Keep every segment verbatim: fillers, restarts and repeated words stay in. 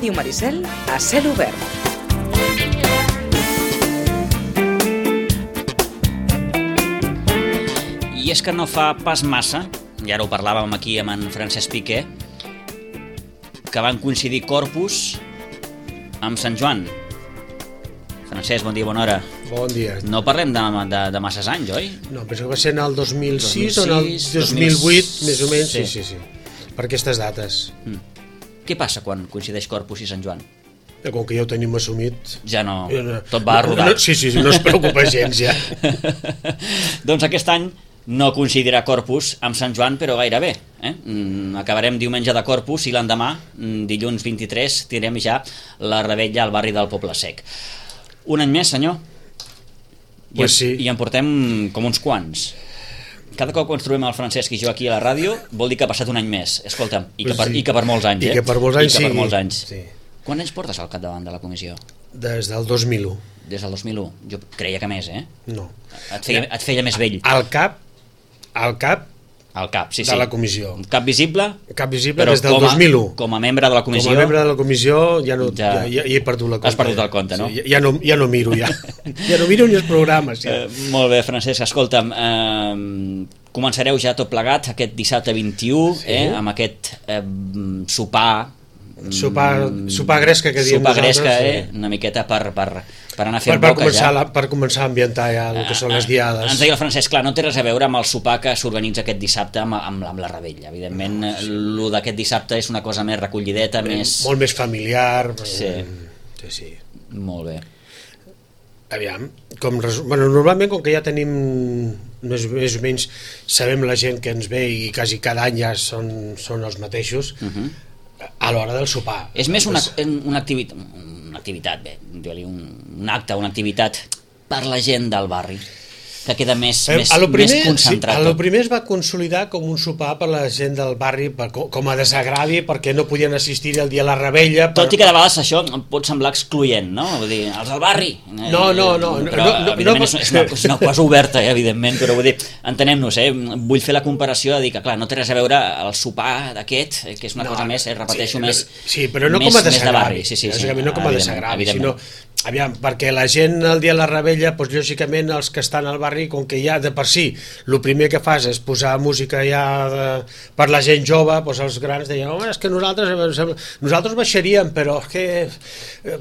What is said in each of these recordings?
Ràdio Maricel a cel obert. I és que no fa pas massa, i ara ho parlàvem aquí amb en Francesc Piqué, que van coincidir Corpus amb Sant Joan. Francesc, bon dia, bona hora. Bon dia. No parlem de, de, de masses anys, oi? No, penso que va ser en el dos mil sis o en el dos mil vuit, més o menys, sí, sí, sí. Per aquestes dates. Mm. Què passa quan coincideix Corpus i Sant Joan? Com que ja ho tenim assumit... Ja no, no tot va a rodar. No, no, sí, sí, no es preocupa gens, ja. Doncs aquest any no coincidirà Corpus amb Sant Joan, però gairebé. Eh? Mm, acabarem diumenge de Corpus i l'endemà, dilluns vint-i-tres, tirem ja la revetlla al barri del Poble Sec. Un any més, senyor? I, pues sí. I en portem com uns quants. Cada cop que ens trobem el Francesc i jo aquí a la ràdio vol dir que ha passat un any més. Escolta'm, i que, per, sí. i que per molts anys, I eh? que per molts anys, I que per sí. molts anys. Sí. Quants anys portes al capdavant de la comissió? Des del dos mil u. Des del dos mil u. Jo creia que més, eh? No. Et feia, et feia més vell. Al cap, al cap Al cap, sí, sí. de la comissió. Cap visible? Cap visible però des del com a, dos mil u. Com a membre de la comissió... Com a membre de la comissió ja, no, ja, ja, ja, ja he perdut la compte. Has perdut el compte, no? Sí, ja, no ja no miro, ja. Ja no miro ni els programes. Ja. Eh, molt bé, Francesc, escolta'm, eh, començareu ja tot plegat aquest dissabte vint-i-u, sí. eh, amb aquest eh, sopar... Sopar, sopar gresca que diem sopar nosaltres. Sopar gresca, sí. eh, una miqueta per, per, per anar fent per, per boca començar ja. La, per començar a ambientar ja el que són les diades. Ens deia el Francesc, clar, no té res a veure amb el sopar que s'organitza aquest dissabte amb, amb, amb la revetlla. Evidentment, no, sí. Lo d'aquest dissabte és una cosa més recollideta, ben, més... Molt més familiar. Sí. Sí, sí. Molt bé. Aviam, com, bueno, normalment com que ja tenim més, més o menys sabem la gent que ens ve i quasi cada any ja són, són els mateixos, uh-huh. a l'hora del sopar. És més una, una, activitat, una activitat, bé, un, un acte, una activitat per la gent del barri, que queda més, eh, més, primer, més concentrat. Sí, a lo primer es va consolidar com un sopar per la gent del barri, per, com a desagravi, perquè no podien assistir el dia a la revetlla. Per... Tot i que de vegades això pot semblar excloent, no? Vull dir, els del barri. No, no, no. Però, no, no, evidentment, no, és, una, és una cosa oberta, eh, evidentment, però vull dir, entenem-nos, eh? Vull fer la comparació de dir que, clar, no té res a veure el sopar d'aquest, que és una no, cosa més, eh, repeteixo, sí, més... Sí, però no més, com a desagravi. Sí, sí, sí, no com a desagravi, sinó... Aviam, perquè la gent el dia de la revetlla, doncs, lògicament els que estan al barri, com que ja de per si el primer que fas és posar música ja de, per la gent jove, doncs els grans deien, home, és que nosaltres nosaltres baixaríem, però és que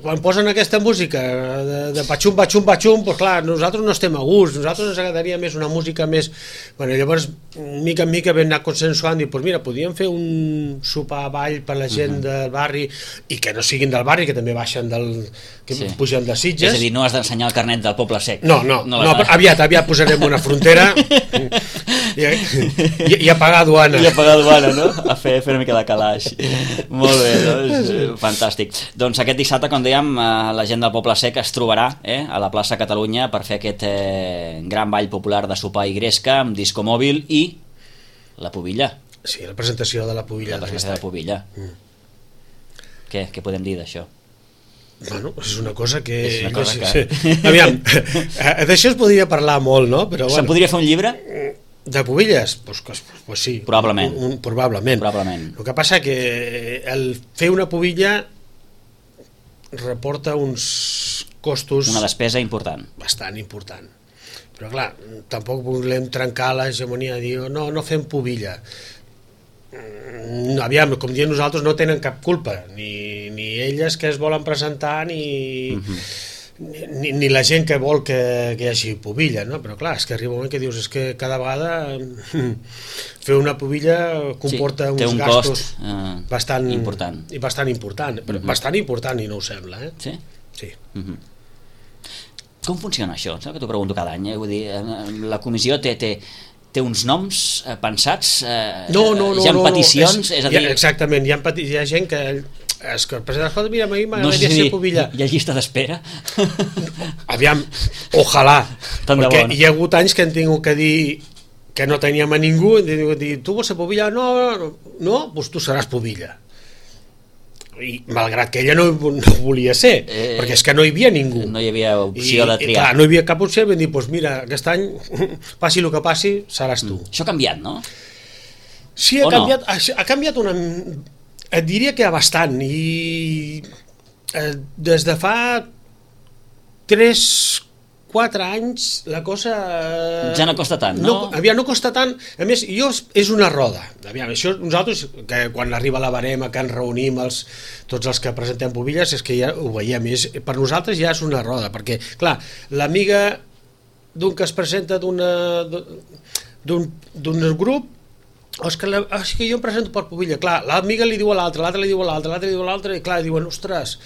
quan posen aquesta música de, de patxum, patxum, patxum, doncs clar, nosaltres no estem a gust, nosaltres ens agradaria més una música més... Bueno, llavors, mica en mica vam anar consensuant i, doncs mira, podríem fer un sopar a ball per la gent uh-huh. del barri i que no siguin del barri, que també baixen del... que sí. Pugen de Sitges. És a dir, no has d'ensenyar el carnet del Poble Sec. No, no, no, no aviat, aviat posarem una frontera i, i, i a pagar duana. I a pagar duana, no? A fer, fer una mica de calaix. Molt bé, doncs, fantàstic. Doncs aquest dissabte, com dèiem, la gent del Poble Sec es trobarà eh, a la plaça Catalunya per fer aquest eh, gran ball popular de sopar i gresca amb disco mòbil i la pubilla. Sí, la presentació de la pubilla. La presentació de la pubilla. Mm. Què, què podem dir d'això? Bueno, és una cosa que... És una cosa que... Sí. Aviam, d'això es podria parlar molt, no? Però, bueno, se'n podria fer un llibre? De pubilles? Pues, pues, pues sí. Probablement. Un, un, probablement. Probablement. El que passa que el fer una pubilla reporta uns costos... Una despesa important. Bastant important. Però clar, tampoc volem trencar l'hegemonia, dir, no, no fem pubilla. Aviam, com diem nosaltres, no tenen cap culpa, ni, ni elles que es volen presentar, ni, uh-huh. ni, ni la gent que vol que, que hi hagi pubilla, no? Però clar, és que arriba un moment que dius, és que cada vegada fer una pubilla comporta sí, uns un gastos cost, uh, bastant important, i bastant important, però uh-huh. bastant important i no ho sembla, eh? Sí? Sí. Uh-huh. Com funciona això? Saps que t'ho pregunto cada any, eh? Vull dir, la comissió té... té té uns noms eh, pensats, eh, no, no, no, hi ha no, peticions, no, és, és a dir... Ja, exactament, hi ha, peti hi ha gent que es que presenta, escolta, mira, a mi m'agradaria no sé ser pubilla. Hi ha llista d'espera? Aviam, ojalà, tant perquè bon. Hi ha hagut anys que hem tingut que dir que no teníem a ningú, dir, tu vols ser pubilla? No, no, no, doncs tu seràs pubilla. I malgrat que ella no, no volia ser, eh, perquè és que no hi havia ningú, no hi havia opció I, de i, triar, clar, no hi havia cap opció, vam dir, doncs mira, aquest any passi el que passi, seràs tu. Mm. Això ha canviat, no? Sí, ha o canviat, no? ha, ha canviat una... Et diria que hi ha bastant, i eh, des de fa tres quatre anys la cosa... Eh, ja no costa tant, no? no? Aviam, no costa tant. A més, jo, és una roda. Aviam, això nosaltres, que quan arriba la barema, que ens reunim els, tots els que presentem pubilles, és que ja ho veiem. És, per nosaltres ja és una roda, perquè, clar, l'amiga d'un que es presenta d'una d'un grup, és que, la, és que jo em presento per pubilla. Clar, l'amiga li diu a l'altre, l'altre li diu a l'altre, l'altre li diu a l'altre, i clar, diuen, ostres...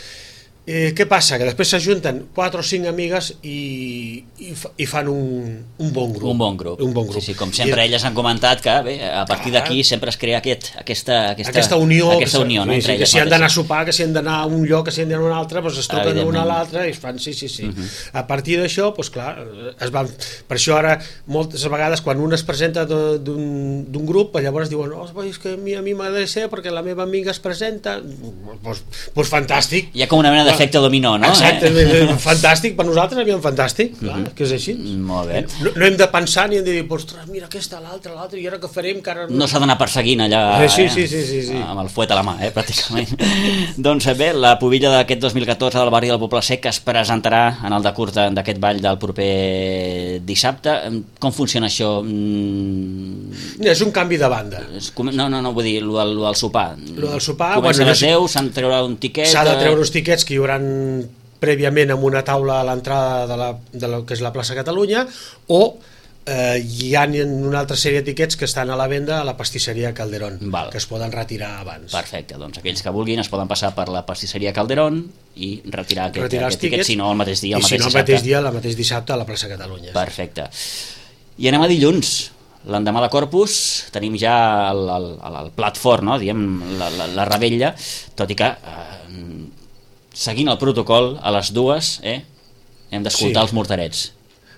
Eh, què passa? Que després s'ajunten quatre o cinc amigues i, i, i fan un, un bon grup. Un bon grup. Un bon grup. Sí, sí, com sempre I, elles han comentat que bé, a partir d'aquí sempre es crea aquest, aquesta, aquesta, aquesta unió, aquesta unió no? Sí, sí, que si han d'anar a sopar, que si han d'anar a un lloc, que si han d'anar a un altre, doncs es truquen una a l'altra i es fan, sí, sí, sí. Uh -huh. A partir d'això, doncs clar, es van, per això ara moltes vegades quan un es presenta d'un grup, llavors diuen, oh, és que a mi, a mi m'agrada ser perquè la meva amiga es presenta, doncs, doncs fantàstic. Hi ha com una mena d'efecte dominó, no? Exacte, eh? Fantàstic, per nosaltres havíem fantàstic, clar, uh -huh. que és així. Molt bé. No, no hem de pensar ni hem de dir, ostres, mira aquesta, l'altra, l'altra, i ara què farem? Que ara... No s'ha d'anar perseguint allà, sí, eh? sí, sí, sí, sí. amb el fuet a la mà, eh? pràcticament. Doncs bé, la pubilla d'aquest dos mil catorze del barri del Poble Sec es presentarà en el decurs d'aquest ball del proper dissabte. Com funciona això? Mm... És un canvi de banda. No, no, no, vull dir, lo del, lo del sopar. Lo del sopar... Comença bueno, a les deu, s'han de treure un tiquet... S'ha de treure uns tiquets que hi haurà prèviament amb una taula a l'entrada de, la, de la que és la plaça Catalunya, o eh, hi ha una altra sèrie de tiquets que estan a la venda a la pastisseria Calderón. Val. Que es poden retirar abans. Perfecte, doncs aquells que vulguin es poden passar per la pastisseria Calderón i retirar aquest, retirar aquest tiquet, si no el mateix dia, el i mateix si no el dissabte. mateix dia, el mateix dissabte a la plaça Catalunya. Perfecte. I anem a dilluns. L'endemà de Corpus tenim ja el, el, el plat fort, no? Diem, la, la, la rebella, tot i que eh, seguint el protocol a les dues eh, hem d'escoltar sí. els morterets.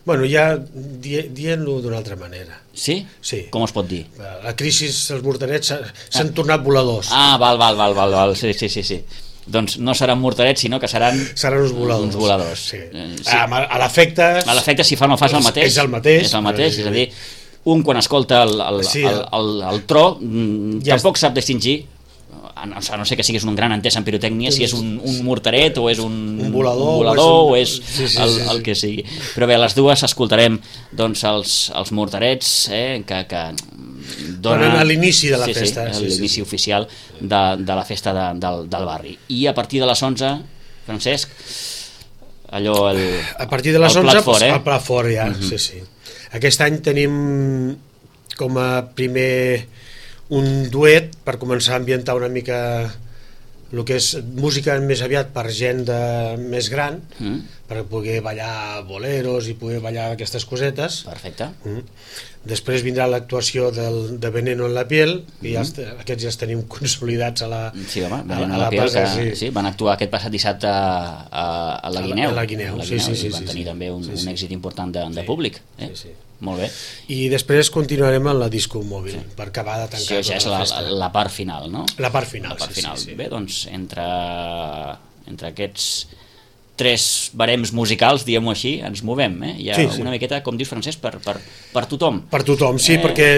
Bueno, ja di dient-lo d'una altra manera. Sí? Sí. Com es pot dir? La crisi, els morterets s'han ah. tornat voladors. Ah, val, val, val, val, val. Sí, sí, sí, sí. Doncs no seran morterets, sinó que seran... Seran uns voladors. Uns voladors. Sí. Sí. A, a l'efecte... A l'efecte, si fa o no fa, és el mateix. És el mateix. És el mateix, és a dir, un quan escolta el, el, sí, el, el, el tro ja tampoc sap distingir, a no sé que siguis un gran entès en pirotècnia, si és un, un morteret o és un, un volador, un volador o és, o és sí, sí, el, sí, sí. el que sigui. Però bé, a les dues escoltarem doncs, els, els morterets eh, que, que donen a l'inici de la sí, festa. Sí, sí, l'inici sí, sí. oficial de, de la festa de, del, del barri. I a partir de les onze, Francesc, allò... El, a partir de les el onze, plat fort, eh? el plat fort ja, uh -huh. sí, sí. Aquest any tenim com a primer un duet per començar a ambientar una mica el que és música més aviat per gent de, més gran, mm. per poder ballar boleros i poder ballar aquestes cosetes. Perfecte. Mm. Després vindrà l'actuació del, de Veneno en la piel, que mm. ja els, aquests ja els tenim consolidats a la, sí, home, a, a la, la piel, plaça. Que, sí. sí, van actuar aquest passat dissabte a, a, a la Guineu. A la Guineu, sí, sí, sí. I van sí, tenir sí. també un, sí, sí. un èxit important de, de sí. públic. Eh? Sí, sí. Molt bé. I després continuarem amb la disco mòbil, sí. per acabar de tancar sí, ja és la, la, la part final, no? La part final, la part sí, final. sí, sí. Bé, doncs, entre, entre aquests tres barems musicals, diguem-ho així, ens movem, eh? Hi ha sí, sí. una miqueta, com dius, Francesc, per, per, per tothom. Per tothom, sí, eh... perquè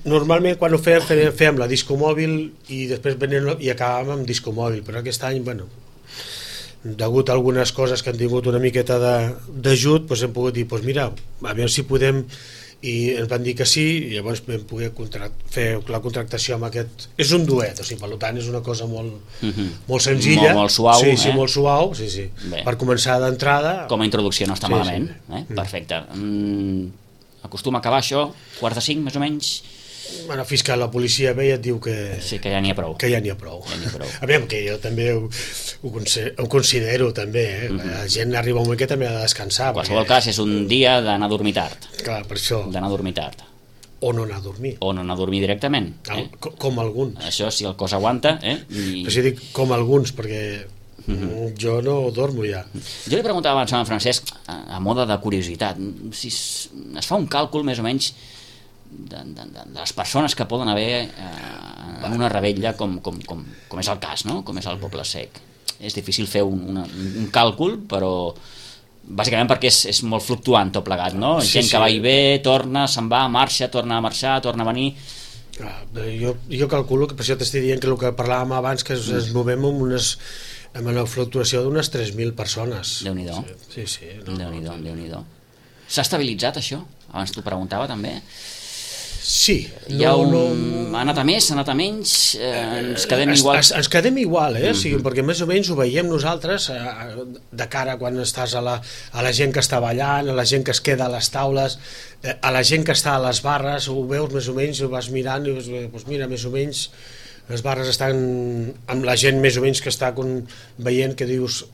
normalment quan ho fèiem, fèiem, fèiem la disco mòbil i després venien, i acabàvem amb disco mòbil, però aquest any, bueno, degut a algunes coses que han tingut una miqueta d'ajut, doncs hem pogut dir, doncs mira, a veure si podem, i ens van dir que sí, i llavors vam poder fer la contractació amb aquest... És un duet, o sigui, per tant és una cosa molt, uh -huh. molt senzilla. Molt, molt suau, sí, eh? Sí, molt suau, sí, sí. Bé. Per començar d'entrada... Com a introducció no està sí, malament, sí. eh? Perfecte. Mm, acostuma a acabar això, quarts de cinc, més o menys... Bueno, fins que la policia ve i et diu que... Sí, que ja n'hi ha prou. Que ja n'hi ha prou. Ja n'hi ha prou. A veure, que jo també ho, ho considero, també, eh? Uh -huh. La gent arriba un moment que també ha de descansar. En qualsevol perquè... cas, és un dia d'anar a dormir tard. Clar, per això. D'anar a dormir tard. O no anar a dormir. O no anar a dormir directament. Eh? Com, com alguns. Això, si el cos aguanta, eh? I... Però si dic com alguns, perquè uh -huh. jo no dormo ja. Jo li preguntava abans a en Francesc, a, a moda de curiositat, si es, es fa un càlcul més o menys de, de, de les persones que poden haver eh, en una rebella com, com, com, com és el cas, no? Com és el Poble Sec. És difícil fer un, una, un càlcul, però bàsicament perquè és, és molt fluctuant tot plegat, no? Sí, Gent sí. que va i ve, torna, se'n va, marxa, torna a marxar, torna a venir... Ah, jo, jo calculo que per això t'estic dient que el que parlàvem abans, que ens, ens movem amb unes amb una fluctuació d'unes tres mil persones. Déu-n'hi-do. Sí, sí. No, Déu-n'hi-do, no, Déu-n'hi-do. S'ha estabilitzat això? Abans t'ho preguntava també. Sí. Hi ha un... no... Ha anat a més, ha anat a menys, eh, ens quedem es, igual. Es, ens quedem igual, eh? Mm -hmm. Sí, perquè més o menys ho veiem nosaltres eh, de cara quan estàs a la, a la gent que està ballant, a la gent que es queda a les taules, eh, a la gent que està a les barres, ho veus més o menys, ho vas mirant i dius, doncs mira, més o menys les barres estan amb la gent més o menys que està con, veient que dius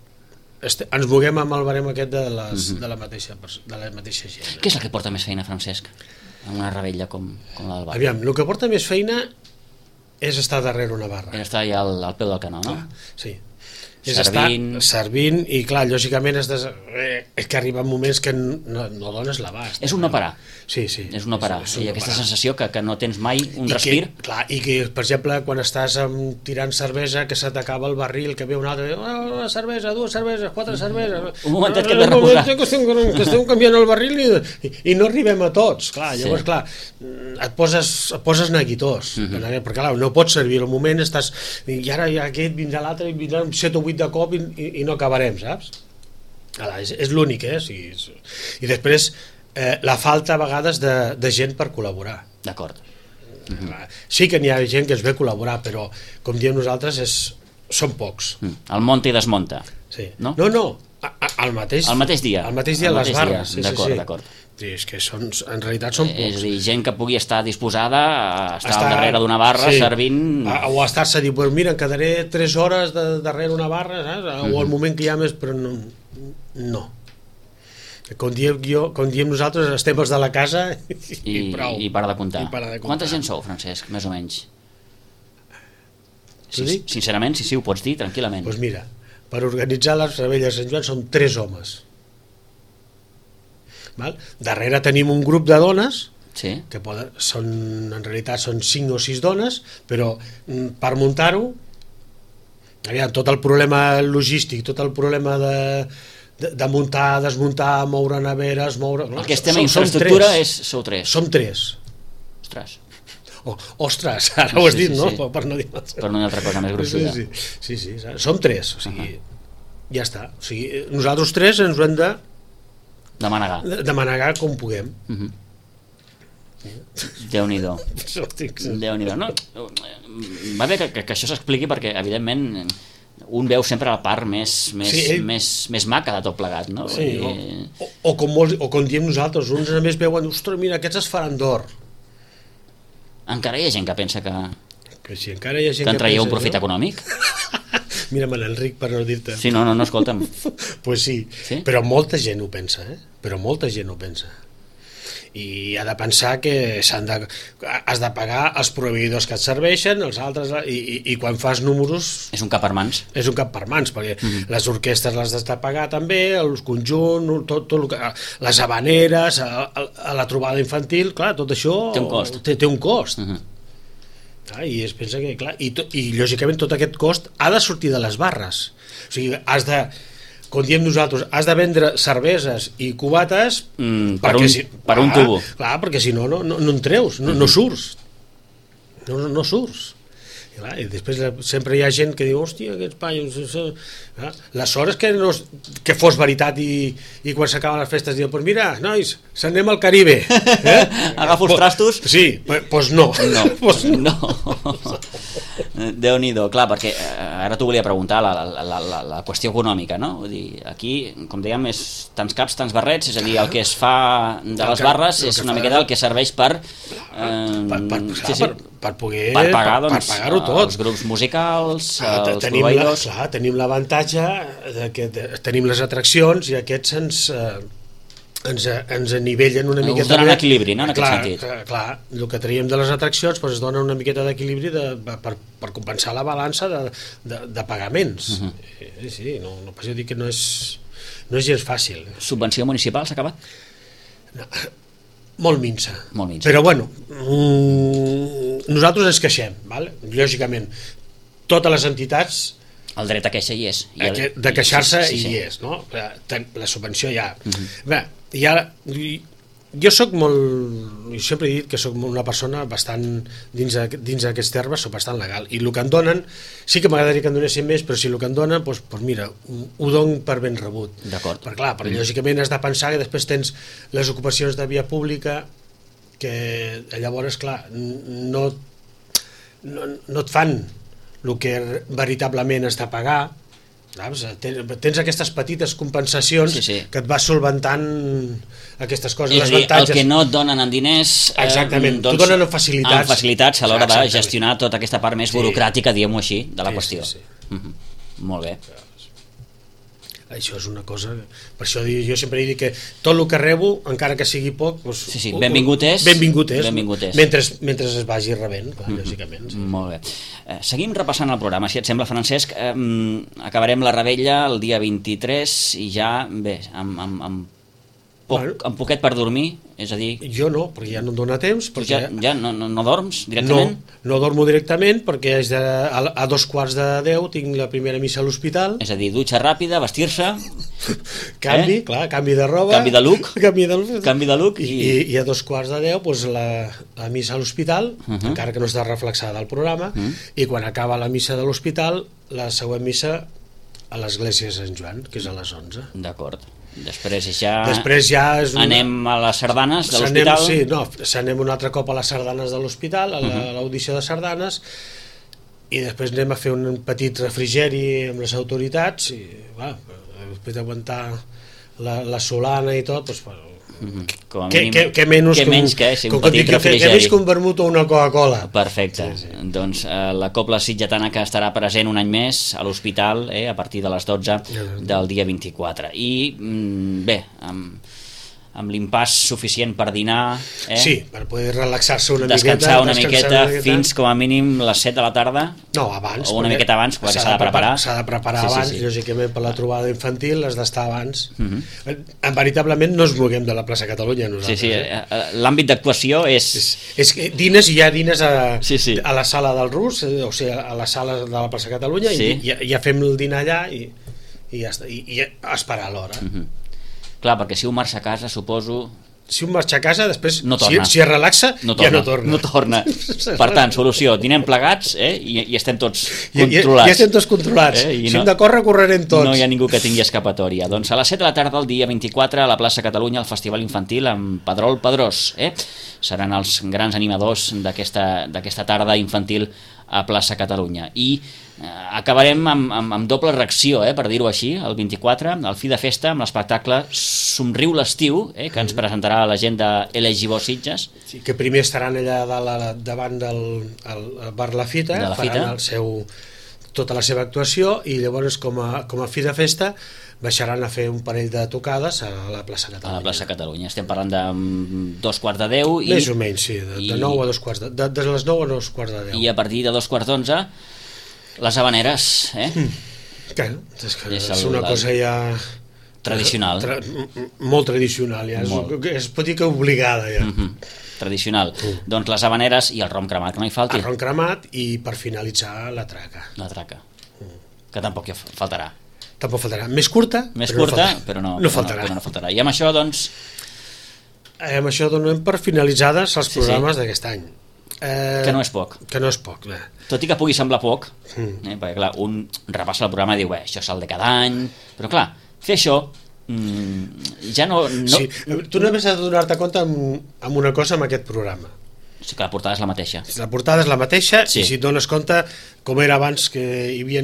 este, ens moguem amb el barem aquest de, les, mm -hmm. de, la mateixa, de la mateixa gent. Eh? Què és el que porta més feina, Francesc? En una rebella com, com la del bar. Aviam, el que porta més feina és estar darrere una barra. És estar allà al, al peu del canó, no? Clar, sí. És Servint... estar servint i clar, lògicament és, des... eh, és que arriben moments que no, no dones l'abast. És un no parar. Sí, sí. És un no parar. És, és un I no aquesta parar. sensació que, que no tens mai un I respir. Que, clar, i que, per exemple, quan estàs amb, tirant cervesa, que se t'acaba el barril, que ve un altre, oh, una cervesa, dues cerveses, quatre cerveses... Un momentet que hem de de reposar. Que estem, que estem canviant el barril i, i, i no arribem a tots. Clar, llavors, sí. clar, et poses, et poses neguitós. Uh -huh. Perquè, clar, no pots servir al moment, estàs... I ara ja aquest vindrà l'altre i vindrà set o vuit de cop i, i, i no acabarem, saps? Ara, és, és l'únic, eh? Sí, és... I després, eh, la falta a vegades de, de gent per col·laborar. D'acord. Uh -huh. Sí que n'hi ha gent que es ve a col·laborar, però, com diem nosaltres, és, són pocs. Mm. El monta i desmunta. Sí. No? No, no, al mateix, el mateix dia. Al mateix dia el a les mateix barres. Sí, d'acord, sí. d'acord. Sí, és que són, en realitat són pocs. És a dir, gent que pugui estar disposada a estar Està, al darrere d'una barra, sí, servint... O a estar-se a dir, pues mira, quedaré tres hores de, darrere una barra, saps? O mm -hmm. al moment que hi ha més, però no. no. Com diem, jo, com diem nosaltres, estem els de la casa i, I, i prou. I para de comptar. I para de comptar. Quanta gent sou, Francesc, més o menys? Sí, sí, sincerament, sí, sí, ho pots dir tranquil·lament. Doncs pues mira, per organitzar les revetlles de Sant Joan són tres homes. Val? Darrere tenim un grup de dones, sí. que poden, són, en realitat són cinc o sis dones, però per muntar-ho, aviam, tot el problema logístic, tot el problema de, de, de muntar, desmuntar, moure neveres, moure... El que és tema infraestructura és, sou tres. Som tres. Ostres. Oh, ostres, ara ho has sí, dit, sí, no? Sí. Per no dir per no dir altra cosa més gruixuda. Sí, sí, sí, sí, som tres, o sigui, uh -huh. ja està. O sigui, nosaltres tres ens ho hem de de manegar, de, de manegar com puguem. Uh -huh. Déu-n'hi-do. Déu-n'hi-do. No, va bé que, que, que això s'expliqui perquè, evidentment, un veu sempre la part més, més, sí, ell... més, més maca de tot plegat, no? Sí, I... o, o, com molts, o com diem nosaltres, uns a més veuen, ostres, mira, aquests es faran d'or. Encara hi ha gent que pensa que, que, si encara hi ha gent que en traieu pensa, un profit no? econòmic? Mira'm l'Enric per no dir-te. Sí, no, no, no, escolta'm. Pues sí, sí, però molta gent ho pensa, eh? Però molta gent ho pensa. I ha de pensar que s'han de, has de pagar els proveïdors que et serveixen, els altres, i, i, i quan fas números... És un cap per mans. És un cap per mans, perquè mm -hmm. les orquestres les has de pagar també, els conjunts, tot, tot el que, les habaneres, a, a, a la trobada infantil, clar, tot això... Té un cost. Té, té un cost. Mm -hmm. Ah, i es pensa que, clar, i, to, i lògicament tot aquest cost ha de sortir de les barres. O sigui, has de... com diem nosaltres, has de vendre cerveses i cubates mm, per, un, si, per clar, un tubo. Clar, perquè si no, no, no, no en treus, no, no surts. No, no, no surts. I, clar, i després sempre hi ha gent que diu, hòstia, aquests panyos... La sort és que, no, que fos veritat i, i quan s'acaben les festes diuen, pues mira, nois, s'anem al Caribe. Eh? Agafo els trastos? Sí, doncs pues no. No, pues no. no. Déu-n'hi-do, clar, perquè ara t'ho volia preguntar, la, la, la, la, la qüestió econòmica, no? Vull dir, aquí, com dèiem, és tants caps, tants barrets, és a dir, el que es fa de les barres és una miqueta el que serveix per... Eh, per, per, sí, sí, per, per poder... Per pagar, doncs, per pagar-ho tot. Els grups musicals, clar, els tenim proveïdors... La, clar, tenim l'avantatge de que de, tenim les atraccions i aquests ens... Eh, ens, ens anivellen una miqueta... Us donen equilibri, no?, en clar, aquest sentit. Clar, clar, el que traiem de les atraccions doncs, es dona una miqueta d'equilibri de, per, per compensar la balança de, de, de pagaments. Uh -huh. Sí, sí, no, no pas dir que no és, no és gens fàcil. Subvenció municipal s'ha acabat? No, molt minsa. Molt minsa. Però bueno, mmm, nosaltres ens queixem, ¿vale? Lògicament, totes les entitats... El dret a queixa hi és. I el, de queixar-se sí, sí, sí. hi és, no? La subvenció hi ha. Uh -huh. Bé, hi ha, jo sóc molt, jo sempre he dit que sóc una persona bastant, dins, dins d'aquests termes, sóc bastant legal, i el que em donen, sí que m'agradaria que em donessin més, però si el que em donen, doncs, doncs mira, ho, ho dono per ben rebut. D'acord. Perquè clar, perquè lògicament has de pensar que després tens les ocupacions de via pública, que llavors, clar, no, no, no et fan el que veritablement has de pagar. Saps? Tens aquestes petites compensacions sí, sí. que et va solventant aquestes coses. És a dir, el que no et donen en diners eh, exactament, doncs, t'ho donen en facilitats, en facilitats a l'hora de gestionar tota aquesta part més burocràtica, sí. diguem-ho així, de la sí, qüestió. Sí, sí. Mm-hmm. Molt bé. Això és una cosa, per això jo sempre dic que tot el que rebo, encara que sigui poc, doncs, sí, sí. benvingut és, benvingut és, benvingut és. Mentre, mentre es vagi rebent, clar, mm-hmm. lògicament. Sí. Molt bé. Eh, seguim repassant el programa, si et sembla, Francesc. Eh, acabarem la revetlla el dia vint-i-tres i ja, bé, amb, amb, amb poc, bueno, amb poquet per dormir, és a dir... Jo no, perquè ja no em dóna temps. Perquè... Ja, ja no, no, no dorms directament? No, no dormo directament perquè és de, a, a dos quarts de deu tinc la primera missa a l'hospital. És a dir, dutxa ràpida, vestir-se... canvi, eh? clar, canvi de roba... Canvi de look. canvi, de, canvi de look. I, i, i a dos quarts de deu doncs, la, la missa a l'hospital, uh -huh. encara que no està reflexada al programa, uh -huh. i quan acaba la missa de l'hospital, la següent missa a l'església de Sant Joan, que és a les onze. D'acord. Després ja, Després ja és una... anem a les sardanes de l'hospital. Sí, no, s'anem un altre cop a les sardanes de l'hospital, a l'audició de sardanes, i després anem a fer un petit refrigeri amb les autoritats, i va, després d'aguantar la, la solana i tot, doncs, Mm-hmm. Com a que, mínim, que, que menys que, que menys que, sí, un com petit que, refrigeri. Que menys que un vermut o una Coca-Cola. Perfecte. Sí, sí. Doncs eh, la Cobla Sitgetana que estarà present un any més a l'hospital eh, a partir de les dotze del dia vint-i-quatre. I mm, bé, amb, amb l'impàs suficient per dinar... Eh? Sí, per poder relaxar-se una descansar miqueta. Una descansar miqueta una miqueta fins com a mínim les set de la tarda. No, abans. O una miqueta abans, perquè s'ha de preparar. S'ha de preparar sí, abans, sí, sí. lògicament per la trobada infantil has d'estar abans. Uh-huh. Veritablement no ens moguem de la plaça Catalunya nosaltres. Sí, sí, eh? l'àmbit d'actuació és... és... És que dines i hi ha dines a, sí, sí. a la sala del Rus, o sigui, a la sala de la plaça Catalunya, sí. i ja, ja fem el dinar allà i, i ja està, i, i esperar l'hora. Uh-huh. Clar, perquè si un marxa a casa, suposo... Si un marxa a casa, després, no si, si es relaxa, no torna, ja no torna. No torna. Per tant, solució, dinem plegats eh, i, i estem tots I, controlats. I, i estem tots controlats. Eh, si no, hem de córrer, correrem tots. No hi ha ningú que tingui escapatòria. Doncs a les set de la tarda, el dia vint-i-quatre, a la plaça Catalunya, el Festival Infantil amb Pedrol Pedrós. Eh? Seran els grans animadors d'aquesta d'aquesta tarda infantil a plaça Catalunya. I eh, acabarem amb, amb, amb doble reacció, eh, per dir-ho així, el vint-i-quatre, al fi de festa, amb l'espectacle Somriu l'estiu, eh, que ens presentarà la gent de L G B O Sitges. Sí, que primer estaran allà de la, davant del el bar La Fita, de la faran fita. El seu, tota la seva actuació, i llavors com a, com a fi de festa baixaran a fer un parell de tocades a la plaça Catalunya. A la plaça Catalunya. Estem parlant de dos quarts de deu. I, més o menys, sí, de, de nou a dos quarts de, de, de les nou a dos quarts de deu. I a partir de dos quarts d'onze, les habaneres, eh? Mm. Clar, és, que és, és el, una cosa ja... Tradicional. Tra, molt tradicional, ja. Molt. És, es pot dir que obligada, ja. Mm-hmm. Tradicional. Mm. Doncs les habaneres i el rom cremat, que no hi falti. El rom cremat i, per finalitzar, la traca. La traca, mm. que tampoc hi faltarà. Tampoc faltarà. Més curta, Més però, curta no però, no, no, però, faltarà. no, però no faltarà. I amb això, doncs... Eh, amb això donem per finalitzades els sí, programes sí. d'aquest any. Eh, que no és poc. Que no és poc, bé. Tot i que pugui semblar poc, mm. eh, perquè clar, un repassa el programa i diu, bé, això és el de cada any, però clar, fer això mmm, ja no... no... Sí. Tu només has de donar-te compte amb, amb una cosa amb aquest programa. Sí, que la portada és la mateixa. La portada és la mateixa, sí. I si et dones compte, com era abans, que hi havia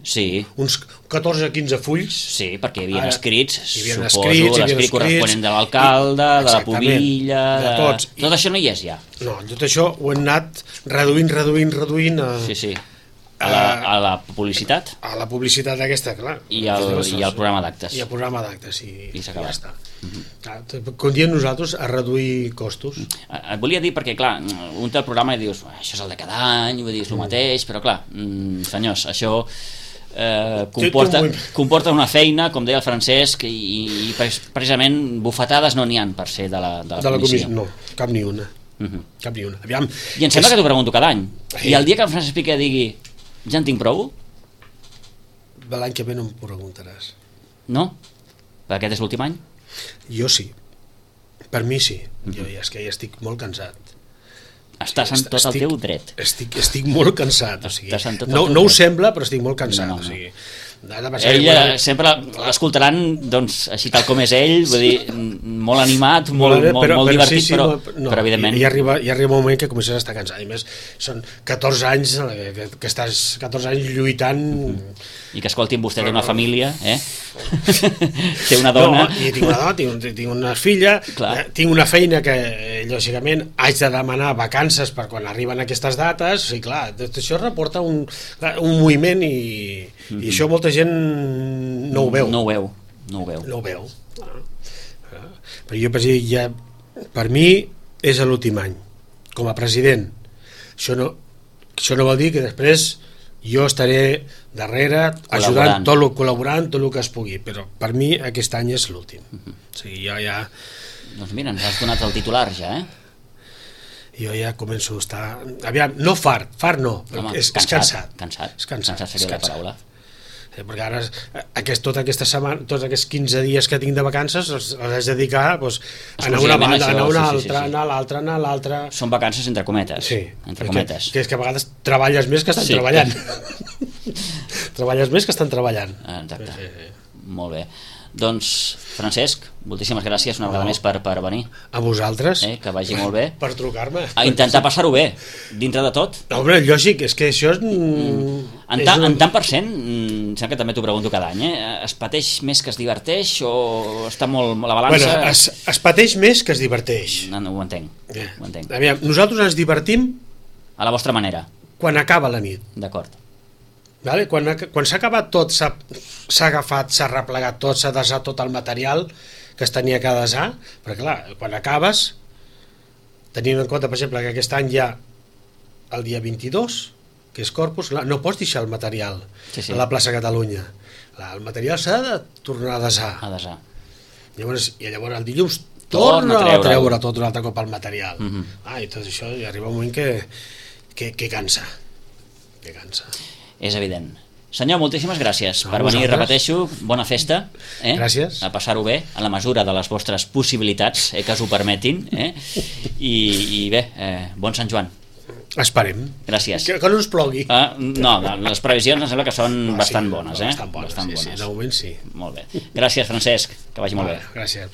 sí. uns catorze o quinze fulls. Sí, perquè hi havia escrits, hi havia suposo, escrits, l'escrit corresponent de l'alcalde, de la pubilla... De tots. De... Tot això no hi és ja. No, tot això ho hem anat reduint, reduint, reduint... A... Sí, sí. A la, a la publicitat? A la publicitat aquesta, clar. I el, i el programa d'actes. I el programa d'actes, i, I, i ja està. Uh-huh. Com diem nosaltres, a reduir costos. Et volia dir perquè, clar, un té el programa i dius, això és el de cada any, vull dir, és el mateix, però clar, senyors, això eh, comporta, comporta una feina, com deia el Francesc, i, i precisament bufetades no n'hi ha per ser de la, de la, de la comissió. No, cap ni una. Uh-huh. Cap ni una. Aviam, I em sembla és... que t'ho pregunto cada any. Sí. I el dia que el Francesc Piqué digui ja en tinc prou? L'any que ve no em preguntaràs. No? Perquè aquest és l'últim any? Jo sí. Per mi sí, jo ja, és que ja estic molt cansat. Estàs en tot estic, el teu dret. Estic, estic molt cansat, o sigui, no, no ho sembla, però estic molt cansat. No, no, no. O sigui, ell eh, sempre l'escoltaran doncs, així tal com és ell, vull dir, molt animat, molt, molt, però, molt divertit, sí, sí, però, no, però evidentment... Hi arriba, hi arriba un moment que comences a estar cansat, i més són catorze anys que, que estàs catorze anys lluitant... I que escoltin vostè d'una família, eh? Té una dona... No, i tinc una dona, tinc, tinc una filla, eh, tinc una feina que, lògicament, haig de demanar vacances per quan arriben aquestes dates, i clar, tot això reporta un, un moviment i, mm-hmm. i això molta gent no ho veu. No ho veu, no ho veu. No ho veu. Però jo, per, ja, per mi, és l'últim any, com a president. Això no, això no vol dir que després jo estaré darrere ajudant, tot lo, col·laborant tot el que es pugui, però per mi aquest any és l'últim. Uh-huh. O sigui, jo ja... Doncs mira, ens has donat el titular ja, eh? Jo ja començo a estar... Aviam, no fart, fart no, però Home, és, cansat, és cansat. Cansat, és cansat, cansat seria és cansat. la paraula. Perquè ara, aquest, tota aquesta setmana, tots aquests quinze dies que tinc de vacances els, els haig de dedicar doncs, a anar a una banda, a anar a una altra, sí, sí, sí. anar a l'altra, anar a l'altra... Són vacances entre cometes. Sí, entre cometes. Que és que a vegades treballes més que estan sí. treballant. Treballes més que estan treballant. Exacte, sí, sí. Molt bé. Doncs, Francesc, moltíssimes gràcies una vegada no. més per, per venir. A vosaltres. Eh, que vagi molt bé. Per trucar-me. A intentar passar-ho bé, dintre de tot. No, home, lògic, és que això és... Mm. En, ta, és un... en tant per cent, mm, sembla que també t'ho pregunto cada any, eh? Es pateix més que es diverteix o està molt la balança... Bueno, es, es pateix més que es diverteix. No, no, ho entenc. Yeah. Ho entenc. Aviam, nosaltres ens divertim... A la vostra manera. Quan acaba la nit. D'acord. Vale? Quan, quan s'ha acabat tot, s'ha agafat, s'ha replegat tot, s'ha desat tot el material que es tenia que desar, perquè clar, quan acabes, tenint en compte, per exemple, que aquest any ja el dia vint-i-dos, que és Corpus, no pots deixar el material sí, sí. a la plaça Catalunya. El material s'ha de tornar a desar. A desar. Llavors, i llavors el dilluns torna a treure, a treure tot un altre cop el material. Mm-hmm. ah, I tot això i arriba un moment que, que, que cansa. Que cansa. És evident. Senyor, moltíssimes gràcies no, per venir, vosaltres. Repeteixo, bona festa. Eh? Gràcies. A passar-ho bé, en la mesura de les vostres possibilitats, eh, que us ho permetin. Eh? I, I bé, eh, bon Sant Joan. Esperem. Gràcies. Que, que no us plogui. Ah, no, les previsions em sembla que són no, bastant sí, bones. Eh? Bastant bones, bastant sí, bones. sí, de moment sí. Molt bé. Gràcies, Francesc, que vagi molt vale, bé. Gràcies.